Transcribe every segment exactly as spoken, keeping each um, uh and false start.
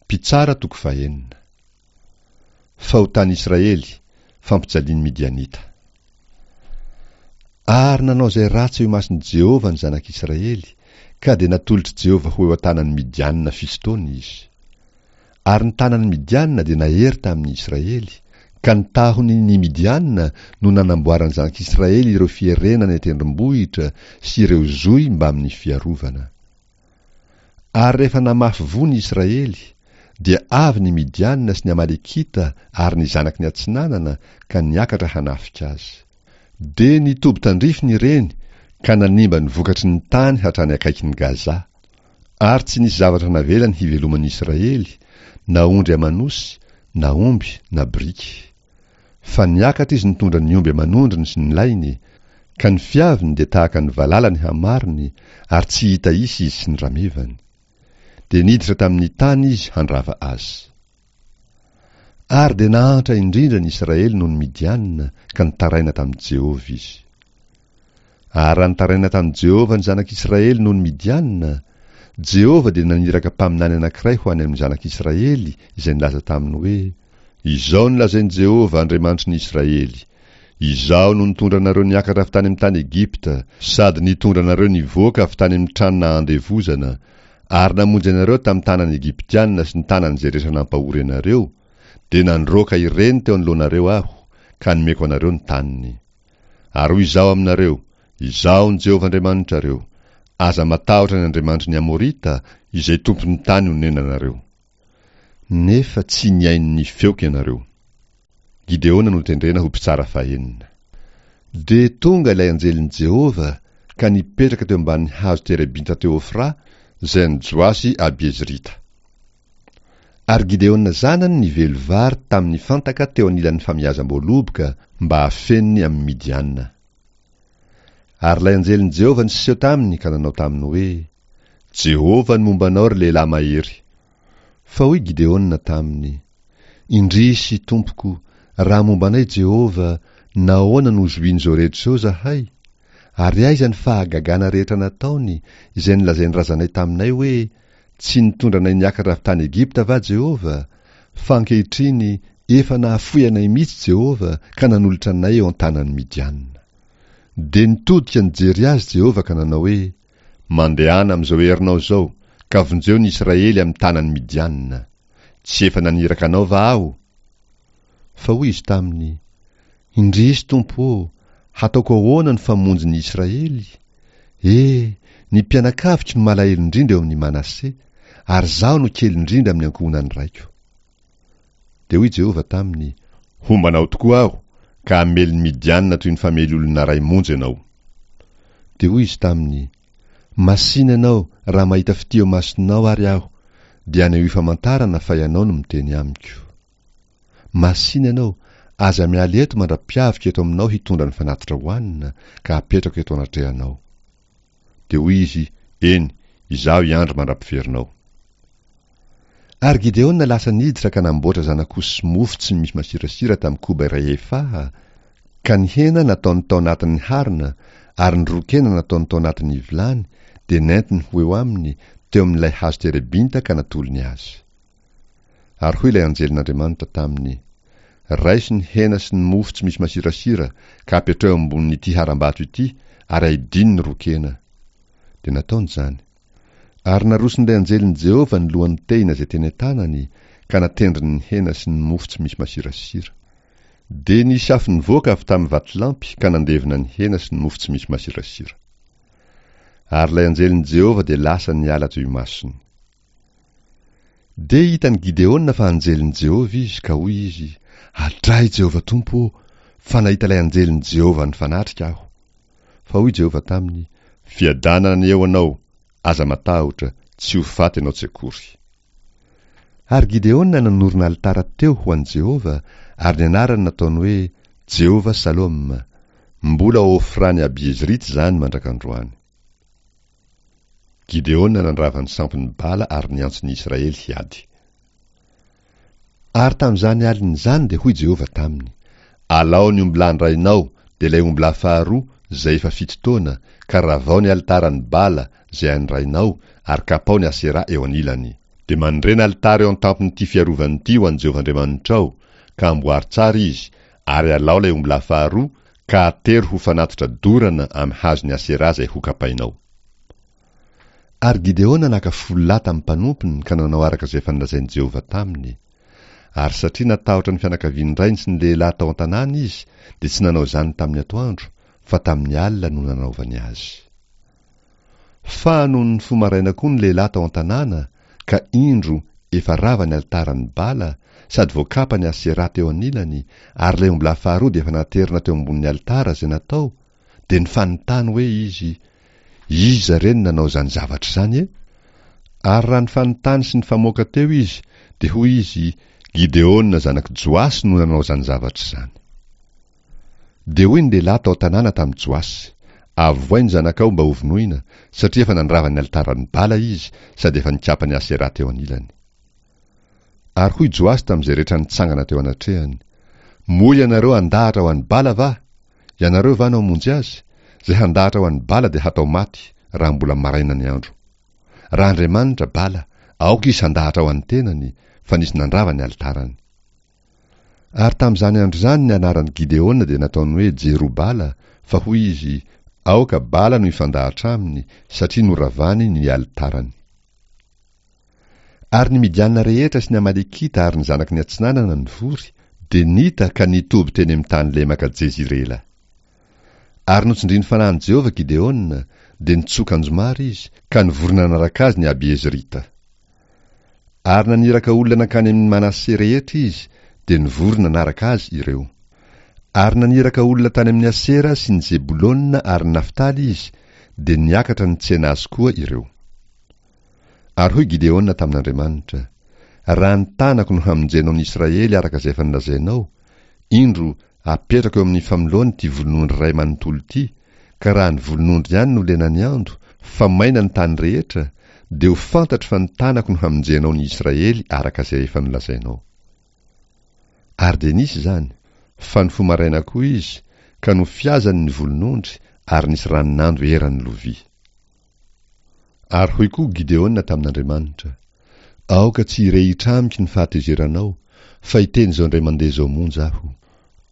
Mpitsara toko fahenina. Fahotan'i Israely, fampijalian'ny Midianita. Ary nanao izay ratsy eo imason'i Jehovah ny zanak'Israely, ka dia natolotr'i Jehovah ho eo an-tanan'ny Midianina fito taona izy. Ary ny tanan'ny Midianina dia nahery tamin'ny Israely, ka ny tahony ny Midianina no nanamboaran'ny zanak'Israely ireo fierena any an-tendrombohitra sy ireo zohy mbamin'ny fiarovana. Ary rehefa namafy voa ny Israely, dia avy ny Midianina sy ny Amalekita ary ny zanaky ny atsinanana ka niakatra hanafika azy. Dia nitoby tandrifiny ireny ka nanimba ny vokatry ny tany hatrany akaikin'i Gaza. Ary tsy nisy zavatra navelany hiveloman'ny Israely, na ondry aman'osy, na omby, na biriky. Fa niakatra izy nitondra ny omby aman'ondriny sy ny lainy, ka ny fiaviny dia tahaka ny valala ny hamarony, ary tsy hita isa izy sy ny ramevany. Dia niditra tamin'ny tany izy handrava azy. Ary dia nahantra indrindra ny Israely noho ny Midianina, ka nitaraina tamin'i Jehovah izy. Ary raha nitaraina tamin'i Jehovah ny zanak'Israely noho ny Midianina, Jehovah dia naniraka mpaminany anankiray ho any amin'ny zanak'Israely izay nilaza taminy hoe, Izao no lazain'i Jehovah Andriamanitry ny Israely, Izaho no nitondra anareo niakatra avy tany amin'ny tany Egypta, sady nitondra anareo nivoaka avy tany amin'ny trano nahandevozana, ary namonjy anareo tamin'ny tanan'ny Egyptianina sy ny tanan'izay rehetra nampahory anareo, dia nandroaka ireny teo anoloanareo aho, ka nomeko anareo ny taniny. Ary hoy Izaho aminareo, Izaho no Jehovah Andriamanitrareo, aza matahotra ny andriamanitry ny Amorita, izay tompon'ny tany onenanareo. Nefa tsy nihaino ny feoko ianareo. Gideona notendrena ho mpitsara fahenina. Dia tonga ilay anjelin'i Jehovah ka nipetraka teo ambanin'ny hazo terebinta teo Ofra, izay an'i Joasy Abiezrita. Ary Gideona zanany nively vary tamin'ny fantaka teo anilan'ny famiazam-boaloboka mba hafeniny amin'ny Midianina. Ary ilay anjelin'i Jehovah niseho taminy ka nanao taminy hoe, Jehovah no momba anao, ry lehilahy mahery. Fa hoy Gideona taminy, Indrisy, tompoko, raha momba anay Jehovah, nahoana no zohian'izao rehetra izao izahay? Ary aiza ny fahagagana rehetra nataony, izay nolazain'ny razanay taminay hoe, Tsy nitondra anay niakatra avy tany Egypta va Jehovah? Fa ankehitriny efa nahafoy anay mihitsy Jehovah ka nanolotra anay eo an-tanan'ny Midianina. Dia nitodika nijery azy Jehovah ka nanao hoe, Mandehana amin'izao herinao izao, ka vonjeo ny Israely amin'ny tanan'ny Midianina. Tsy efa naniraka anao va aho? Fa hoy izy taminy, Indrisy, Tompo ô, hataoko ahoana ny famonjy ny Israely? E, ny mpianakaviko no malahelo indrindra eo amin'ny Manase, ary izaho no kely indrindra amin'ny ankohonan'ny raiko. Dia hoy Jehovah taminy, Homba anao tokoa aho, ka hamely ny Midianina toy ny famely olona iray monja ianao. Dia hoy izy taminy, Masìna ianao, raha mahita fitia eo imasonao ary aho, dia anehoy famantarana fa ianao no miteny amiko. Masìna ianao, aza miala eto mandra-piaviko eto aminao hitondra ny fanatitra hohanina, ka hapetrako eto anatrehanao. Dia hoy izy, Eny, izaho hiandry mandra-piverinao. Ary Gideona lasa niditra ka namboatra zanak'osy sy mofo tsy misy masirasira tamin'ny koba iray efaha, ka ny hena nataony tao anatin'ny harona, ary ny ron-kena nataony tao anatin'ny vilany, dia nentiny ho eo aminy, teo amin'ilay hazo terebinta ka natolony azy. Ary hoy ilay anjelin'Andriamanitra taminy, Raiso ny hena sy ny mofo tsy misy masirasira, ka apetraho eo ambonin'ity harambato ity, ary aidino ny ron-kena. Dia nataony izany. Ary naroson'ilay anjelin'i Jehovah ny lohan'ny tehina izay teny an-tanany, ka natendriny ny hena sy ny mofo tsy misy masirasira. Dia nisy afo nivoaka avy tamin'ny vatolampy ka nandevona ny hena sy ny mofo tsy misy masirasira. Ary ilay anjelin'i Jehovah dia lasa niala teo imasony. Dia hitan'i Gideona fa anjelin'i Jehovah izy, ka hoy izy, Adray, Jehovah Tompo ô, fa nahita ilay anjelin'i Jehovah nifanatrika aho. Fa hoy Jehovah taminy, Fiadanana anie ho anao, aza matahotra, tsy ho faty ianao tsy akory. Ary Gideona nanorina alitara teo ho an'i Jehovah, ary ny anarany nataony hoe Jehovah Salom. Mbola ao Ofran'i Abiezrita izany mandrak'androany. Gideona nandrava ny sampin'i Bala ary niantso ny Israely hiady. Ary tamin'izany alina izany dia hoy Jehovah taminy, Alao ny ombilahin-drainao, dia ilay ombilahy faharoa, izay efa fito taona, ka ravao ny alitaran'i Bala, izay an'ny rainao, ary kapao ny Asera eo anilany. Dia manorena alitara eo an-tampon'ity fiarovana ity ho an'i Jehovah Andriamanitrao, ka amboary tsara izy, ary alao ilay ombilahy faharoa, ka atero ho fanatitra dorana amin'ny hazon'ny Aseraha izay hokapainao. Ary Gideona naka folo lahy tamin'ny mpanompony ka nanao araka izay efa nolazain'i Jehovah taminy. Ary satria natahotra ny fianakavian'ny rainy sy ny lehilahy tao an-tanàna izy, dia tsy nanao izany tamin'ny atoandro, fa tamin'ny alina no nanaovany azy. Fa nony nifoha maraina koa ny lehilahy tao an-tanàna, ka indro, efa rava ny alitaran'i Bala, sady voakapa ny Aseraha teo anilany, ary ilay ombilahy faharoa dia efa naterina teo ambonin'ny alitara izay natao, dia nifanontany hoe izy, Iza re no nanao izany zavatra izany e? Ary raha nifanontany sy nifamoaka teo izy, dia hoy izy, Gideona zanak'i Joasy no nanao izany zavatra izany. Dia hoy ny lehilahy tao an-tanàna tamin'i Joasy, Avohay ny zanakao mba hovonoina, satria efa nandrava ny alitaran'i Bala izy, sady efa nikapa ny Aseraha teo anilany. Ary hoy Joasy tamin'izay rehetra nitsangana teo anatrehany, Moa ianareo handahatra ho an'i Bala va? Ianareo va no hamonjy azy? Izay handahatra ho an'i Bala dia hatao maty, raha mbola maraina ny andro. Raha Andriamanitra Bala, aoka izy handahatra ho an'ny tenany, fa nisy nandrava ny alitarany. Ary tamin'izany andro izany ny anaran'i Gideona dia nataony hoe Jerobala, fa hoy izy, Aoka Bala no hifandahatra aminy, satria noravany ny alitarany. Ary ny Midiana rehetra sy ny Amalekita ary ny zanaky ny atsinanana nivory, dia nita ka nitoby teny amin'ny tany lemaka Jezirela. Ary notsindrin'ny fanahin'i Jehovah Gideona, dia nitsoka anjomara izy, ka nivory nanaraka azy ny Abiezrita. Ary naniraka olona nankany amin'ny Manase rehetra izy, dia nivory nanaraka azy ireo. Ary naniraka olona tany amin'ny Asera sy ny Zebolona ary ny Naftaly izy, dia niakatra nitsena azy koa ireo. Ary hoy Gideona tamin'Andriamanitra, Raha ny tanako no hamonjenao ny Israely araka izay efa nolazainao, indro, apetrako eo amin'ny famoloany ity volonondry iray manontolo ity, ka raha ny volonondry ihany no lenan'ny ando, fa maina ny tany rehetra, dia ho fantatro fa ny tanako no hamonjenao ny Israely araka izay efa nolazainao. Ary dia nisy izany, fa nifoha maraina koa izy, ka nofiazany ny volonondry, ary nisy ranon'ando eran'ny lovia. Ary hoy koa Gideona tamin'Andriamanitra, Aoka tsy hirehitra amiko ny fahatezeranao, fa hiteny izao indray mandeha izao monja aho.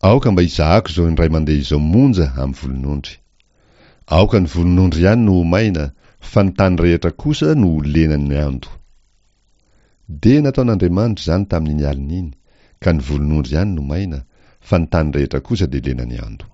Aoka mba hizahako izao indray mandeha izao monja amin'ny volonondry. Aoka ny volonondry ihany no ho maina, fa ny tany rehetra kosa no ho lenan'ny ando. Dia nataon'Andriamanitra izany tamin'iny alina iny, ka ny volonondry ihany no maina, fa ny tany rehetra kosa dia lenan'ny ando.